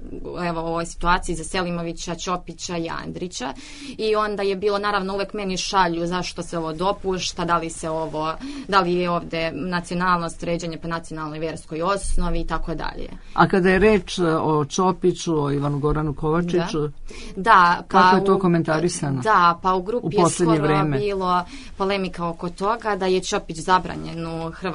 evo u ovoj situaciji za Selimovića, Ćopića i Andrića, i onda je bilo naravno uvek meni šalju zašto se ovo dopušta, da li se ovo, da li je ovde nacionalnost, ređanje po nacionalnoj vjerskoj osnovi i tako dalje. A kada je reč o Ćopiću, o Ivanu Goranu Kovačiću, da, da pa kako je to komentarisano? Da, pa u grupi u je skoro vreme. Bilo polemika oko toga da je Ćopić zabranjen u hrvatskoj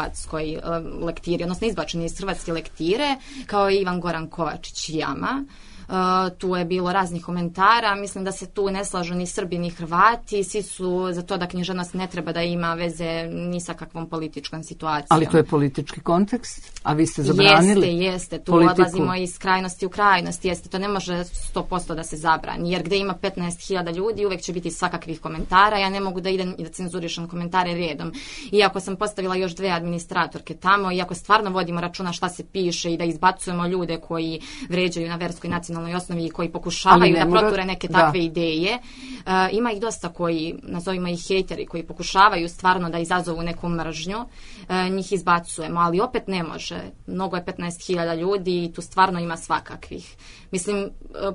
lektiri, odnosno izbačen iz hrvatske lektire, kao i Ivan Goran Kovačić Jama. Uh, tu je bilo raznih komentara, mislim da se tu ne slažu ni Srbi ni Hrvati, svi su za to da književnost ne treba da ima veze ni sa kakvom političkom situacijom. Ali to je politički kontekst, a vi ste zabranili? Jeste, jeste, tu politiku. Odlazimo iz krajnosti u krajnost, jeste, to ne može sto posto da se zabrani, jer gde ima petnaest hiljada ljudi uvek će biti svakakvih komentara, ja ne mogu da idem i da cenzurišem komentare redom. Iako sam postavila još dve administratorke tamo, iako stvarno vodimo računa šta se piše i da izbacujemo ljude koji vređaju na verskoj nacionalnoj osnovi i koji pokušavaju da proture neke takve da. ideje. Uh, ima ih dosta koji, nazovimo ih hejteri, koji pokušavaju stvarno da izazovu neku mržnju. Uh, njih izbacujemo, ali opet ne može. Mnogo je petnaest hiljada ljudi i tu stvarno ima svakakvih. Mislim, uh,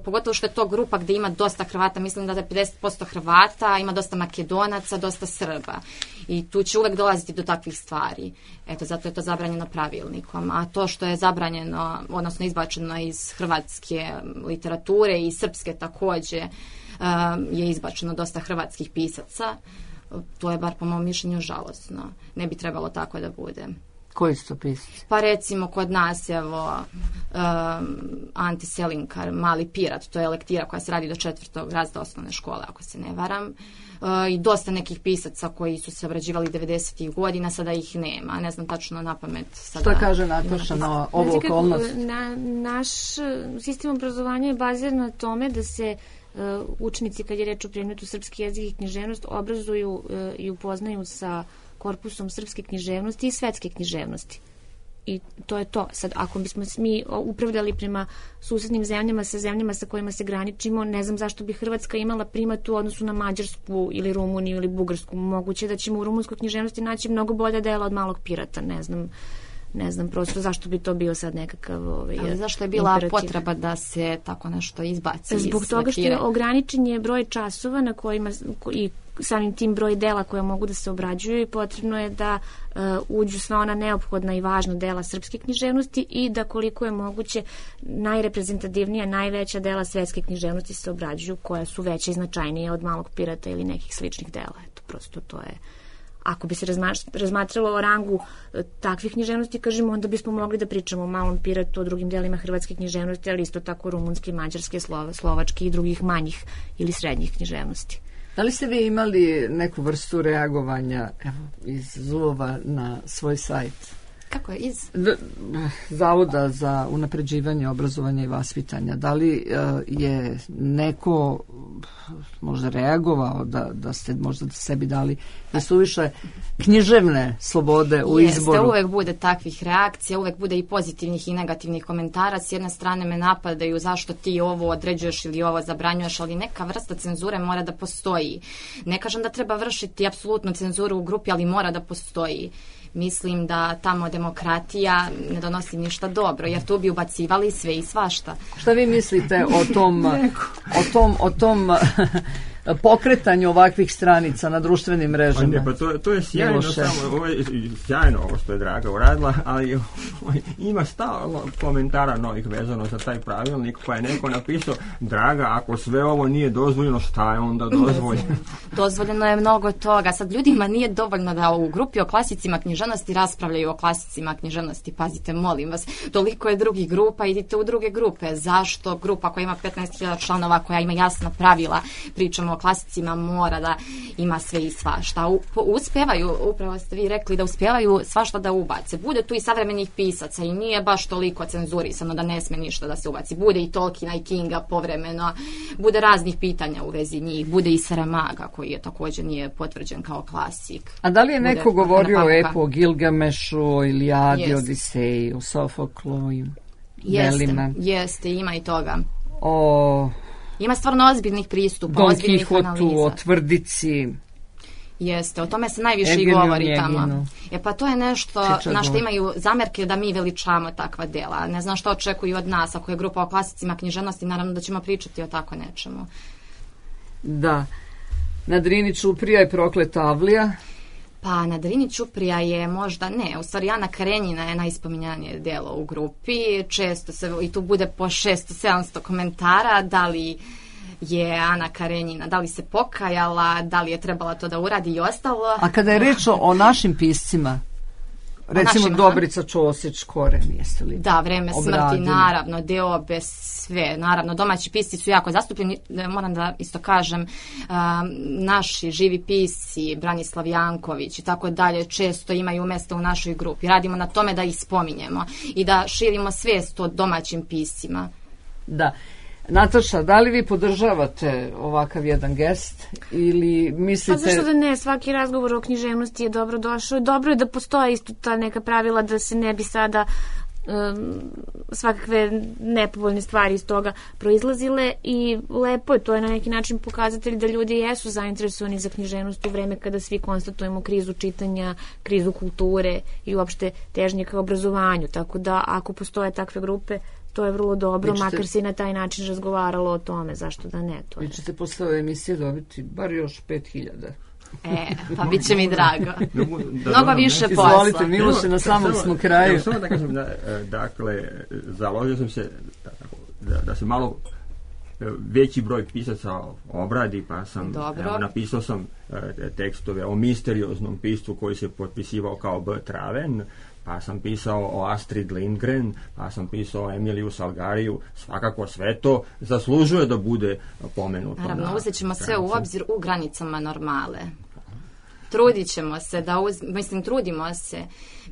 pogotovo što je to grupa gde ima dosta Hrvata, mislim da je pedeset posto Hrvata, ima dosta Makedonaca, dosta Srba. I tu će uvek dolaziti do takvih stvari. Eto, zato je to zabranjeno pravilnikom. A to što je zabranjeno, odnosno izbačeno iz hrvatske literature i srpske takođe, je izbačeno dosta hrvatskih pisaca. To je bar po mom mišljenju žalosno. Ne bi trebalo tako da bude. Koji su to pisci? Pa recimo kod nas, evo, um, Ante Selinkar, Mali pirat, to je lektira koja se radi do četvrtog razreda osnovne škole, ako se ne varam. Uh, I dosta nekih pisaca koji su se obrađivali devedesetih godina, sada ih nema. Ne znam tačno na pamet. Sada. Što kaže Nataša na ovu okolnost? Na, naš sistem obrazovanja je baziran na tome da se uh, učenici, kad je reč o predmetu srpski jezik i književnost, obrazuju uh, i upoznaju sa korpusom srpske književnosti i svetske književnosti. I to je to. Sad, ako bismo mi upravljali prema susednim zemljama, sa zemljama sa kojima se graničimo, ne znam zašto bi Hrvatska imala primat u odnosu na Mađarsku ili Rumuniju ili Bugarsku. Moguće da ćemo u rumunskoj književnosti naći mnogo bolja dela od Malog pirata. Ne znam, ne znam prosto zašto bi to bio sad nekakav ovaj, ali zašto je bila imperativ. Potreba da se tako nešto izbaci? Zbog toga što je ograničen je broj časova na kojima i samim tim broj dela koja mogu da se obrađuju i potrebno je da uh, uđu sva ona neophodna i važna dela srpske književnosti i da koliko je moguće najreprezentativnija, najveća dela svetske književnosti se obrađuju koja su veće i značajnije od Malog pirata ili nekih sličnih dela. Eto, prosto to je. Ako bi se razmatralo o rangu e, takvih književnosti, kažemo, onda bismo mogli da pričamo o Malom piratu, o drugim delima hrvatske književnosti, ali isto tako rumunske, mađarske, slova, slovačke i drugih manjih ili srednjih književnosti. Da li ste vi imali neku vrstu reagovanja evo, iz Zulova na svoj sajt? Kako je iz? D- Zavoda za unapređivanje obrazovanja i vaspitanja. Da li uh, je neko možda reagovao da, da ste možda sebi dali da su više književne slobode u Jeste, izboru? Uvek bude takvih reakcija, uvek bude i pozitivnih i negativnih komentara. S jedne strane me napadaju zašto ti ovo određuješ ili ovo zabranjuješ, ali neka vrsta cenzure mora da postoji. Ne kažem da treba vršiti apsolutnu cenzuru u grupi, ali mora da postoji. Mislim da tamo demokratija ne donosi ništa dobro, jer tu bi ubacivali sve i svašta. Šta vi mislite o tom, o tom, o tom pokretanju ovakvih stranica na društvenim mrežama? Pa ne, pa to, to je sjajno, samo, ovo je sjajno ovo što je Draga uradila, ali ovaj, ima stalno komentara novih vezano za taj pravilnik, pa je neko napisao, Draga, ako sve ovo nije dozvoljeno, šta je onda dozvoljeno? Dozvoljeno je mnogo toga. Sad ljudima nije dovoljno da u grupi o klasicima književnosti raspravljaju o klasicima književnosti. Pazite, molim vas, toliko je drugih grupa, idite u druge grupe. Zašto grupa koja ima petnaest hiljada članova, koja ima jasna pravila, pričamo o klasicima, mora da ima sve i svašta. U, uspevaju, upravo ste vi rekli da uspevaju svašta da ubace. Bude tu i savremenih pisaca i nije baš toliko cenzurisano da ne sme ništa da se ubaci. Bude i Tolkiena i Kinga povremeno, bude raznih pitanja u vezi njih, bude i Saramaga koji je također nije potvrđen kao klasik. A da li je neko bude govorio o epu, o Gilgamešu, o Ilijadi, Jest. Odiseji, o Sofoklu i Jeste, Delima? jeste, ima i toga. O Ima stvarno ozbiljnih pristupa, Don ozbiljnih Kihotu, analiza. o Tvrdici. Jeste, o tome se najviše Egeniju i govori Njeginu. tamo. E pa to je nešto Čičagu. na što imaju zamerke da mi veličamo takva dela. Ne znam što očekuju od nas, ako je grupa o klasicima književnosti, naravno da ćemo pričati o tako nečemu. Da. Na Drini Ćuprija je Prokleta Avlija. Pa na Drini Ćuprija je možda, ne, u stvari Ana Karenjina je najspominjanije delo u grupi. Često se, i tu bude po šesto sedamsto komentara, da li je Ana Karenjina, da li se pokajala, da li je trebala to da uradi i ostalo. A kada je reč o, o našim piscima, recimo našim, Dobrica Ćosić, Koren, jeste li Da, Vreme obradili? smrti, naravno, Deobe, sve, naravno, domaći pisci su jako zastupljeni, moram da isto kažem, um, naši živi pisci, Branislav Janković i tako dalje, često imaju mjesto u našoj grupi. Radimo na tome da ih spominjemo i da širimo svijest o domaćim piscima. Da. Nataša, da li vi podržavate ovakav jedan gest ili mislite... Pa zašto da ne, svaki razgovor o književnosti je dobro došao. Dobro je da postoje isto ta neka pravila da se ne bi sada um, svakakve nepovoljne stvari iz toga proizlazile i lepo je, to je na neki način pokazatelj da ljudi jesu zainteresovani za književnost u vreme kada svi konstatujemo krizu čitanja, krizu kulture i uopšte težnje ka obrazovanju. Tako da ako postoje takve grupe, to je vrlo dobro, ćete, makar se i na taj način razgovaralo o tome, zašto da ne. To vi ćete posle ove emisije dobiti bar još pet hiljada. E, pa bit će mi drago. Da, Mnogo više posla. Izvolite, Miloše, na samom smo kraju. Evo, samo da kažem, da, dakle, založio sam se da, da se malo veći broj pisaca obradi, pa sam evo, napisao sam tekstove o misterioznom piscu koji se potpisivao kao B. Traven, pa sam pisao o Astrid Lindgren, pa sam pisao o Emiliju Salgariju. Svakako sve to zaslužuje da bude pomenuto. Naravno, uzet ćemo sve u obzir u granicama normale. Trudit ćemo se da uz... mislim, trudimo se.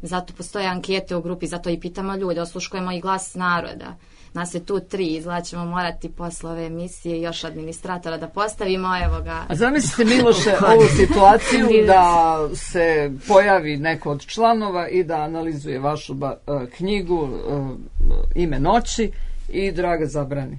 Zato postoje ankete u grupi, zato i pitamo ljude, osluškujemo i glas naroda. Nas je tu tri, izgleda ćemo morati posle ove emisije još administratora da postavimo, evo ga. A zamislite, Miloše, ovu situaciju da se pojavi neko od članova i da analizuje vašu ba, uh, knjigu uh, Ime noći i Draga zabrani.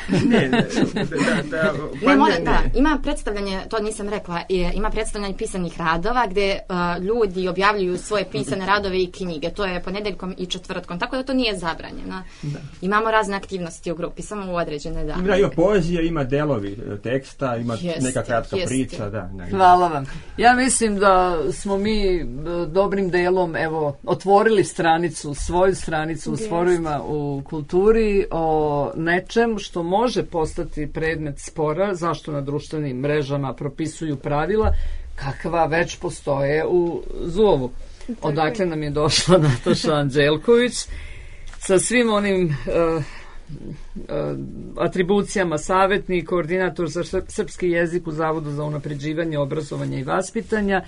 ne, ne, da, da, pa ne, mora, ne, da, ima predstavljanje, to nisam rekla, ima predstavljanje pisanih radova gdje uh, ljudi objavljuju svoje pisane radove i knjige. To je ponedeljkom i četvrtkom, tako da to nije zabranjeno. Da. Imamo razne aktivnosti u grupi, samo u određene dane. Ima, ima poezija, ima delovi teksta, ima jeste, neka kratka jeste. priča. Da, da, hvala vam. Ja mislim da smo mi dobrim delom evo, otvorili stranicu, svoju stranicu u Sporovima u kulturi o nečem što može postati predmet spora, zašto na društvenim mrežama propisuju pravila kakva već postoje u Zovu. Odakle nam je došla Nataša Anđelković sa svim onim uh, uh, atribucijama, savjetnik, koordinator za srpski jezik u Zavodu za unapređivanje obrazovanja i vaspitanja.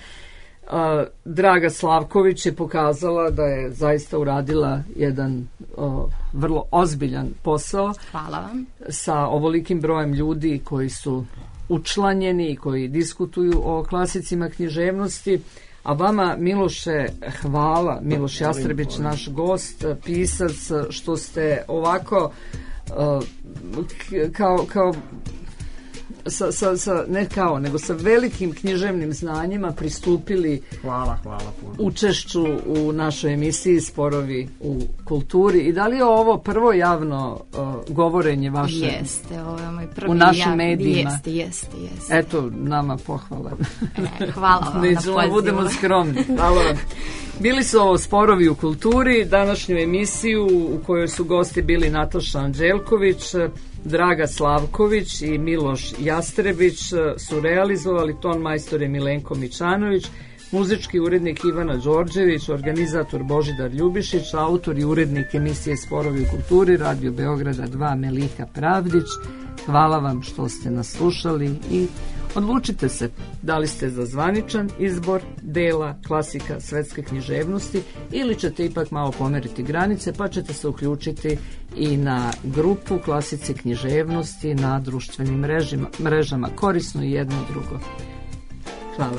A, Draga Slavković je pokazala da je zaista uradila jedan o, vrlo ozbiljan posao. Hvala vam. Sa ovolikim brojem ljudi koji su učlanjeni i koji diskutuju o klasicima književnosti. A vama, Miloše, hvala. Miloš Jastrebić, naš gost, pisac, što ste ovako uh, kao, kao sa, sa, sa, ne kao, nego sa velikim književnim znanjima pristupili hvala, hvala puno. učešću u našoj emisiji Sporovi u kulturi. I da li je ovo prvo javno uh, govorenje vaše jeste, ovo je moj prvi u našim jav... medijima? Jeste, jeste, jeste. Eto, nama pohvala. E, hvala vam na pozivu. Budemo skromni. Hvala vam. Bili su ovo Sporovi u kulturi, današnju emisiju u kojoj su gosti bili Nataša Anđelković, Draga Slavković i Miloš Jastrebić su realizovali, ton majstor je Milenko Mičanović, muzički urednik Ivana Đorđević, organizator Božidar Ljubišić, autor i urednik emisije Sporovi u kulturi, Radio Beograda dva Meliha Pravdić. Hvala vam što ste nas slušali i odlučite se da li ste za zvaničan izbor dela klasika svetske književnosti ili ćete ipak malo pomeriti granice pa ćete se uključiti i na grupu klasice književnosti na društvenim mrežima, mrežama. Korisno i jedno i drugo. Hvala.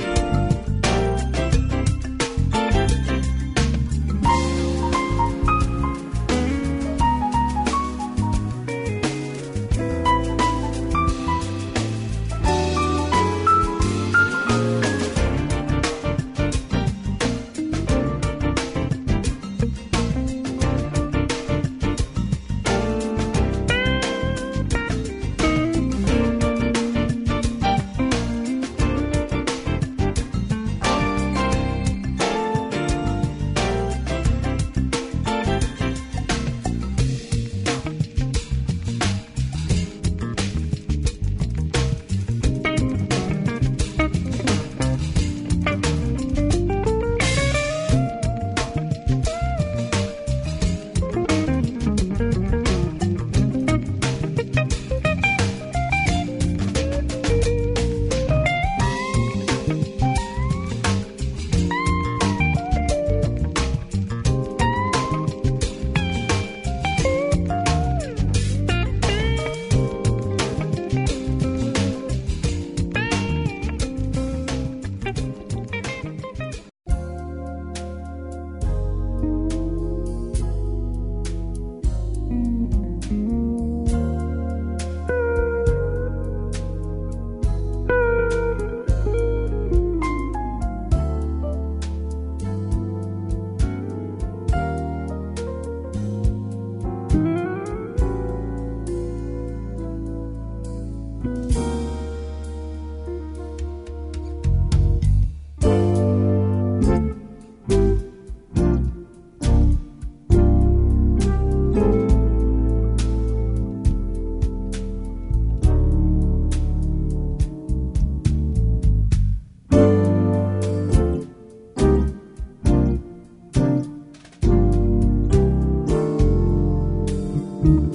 Thank you.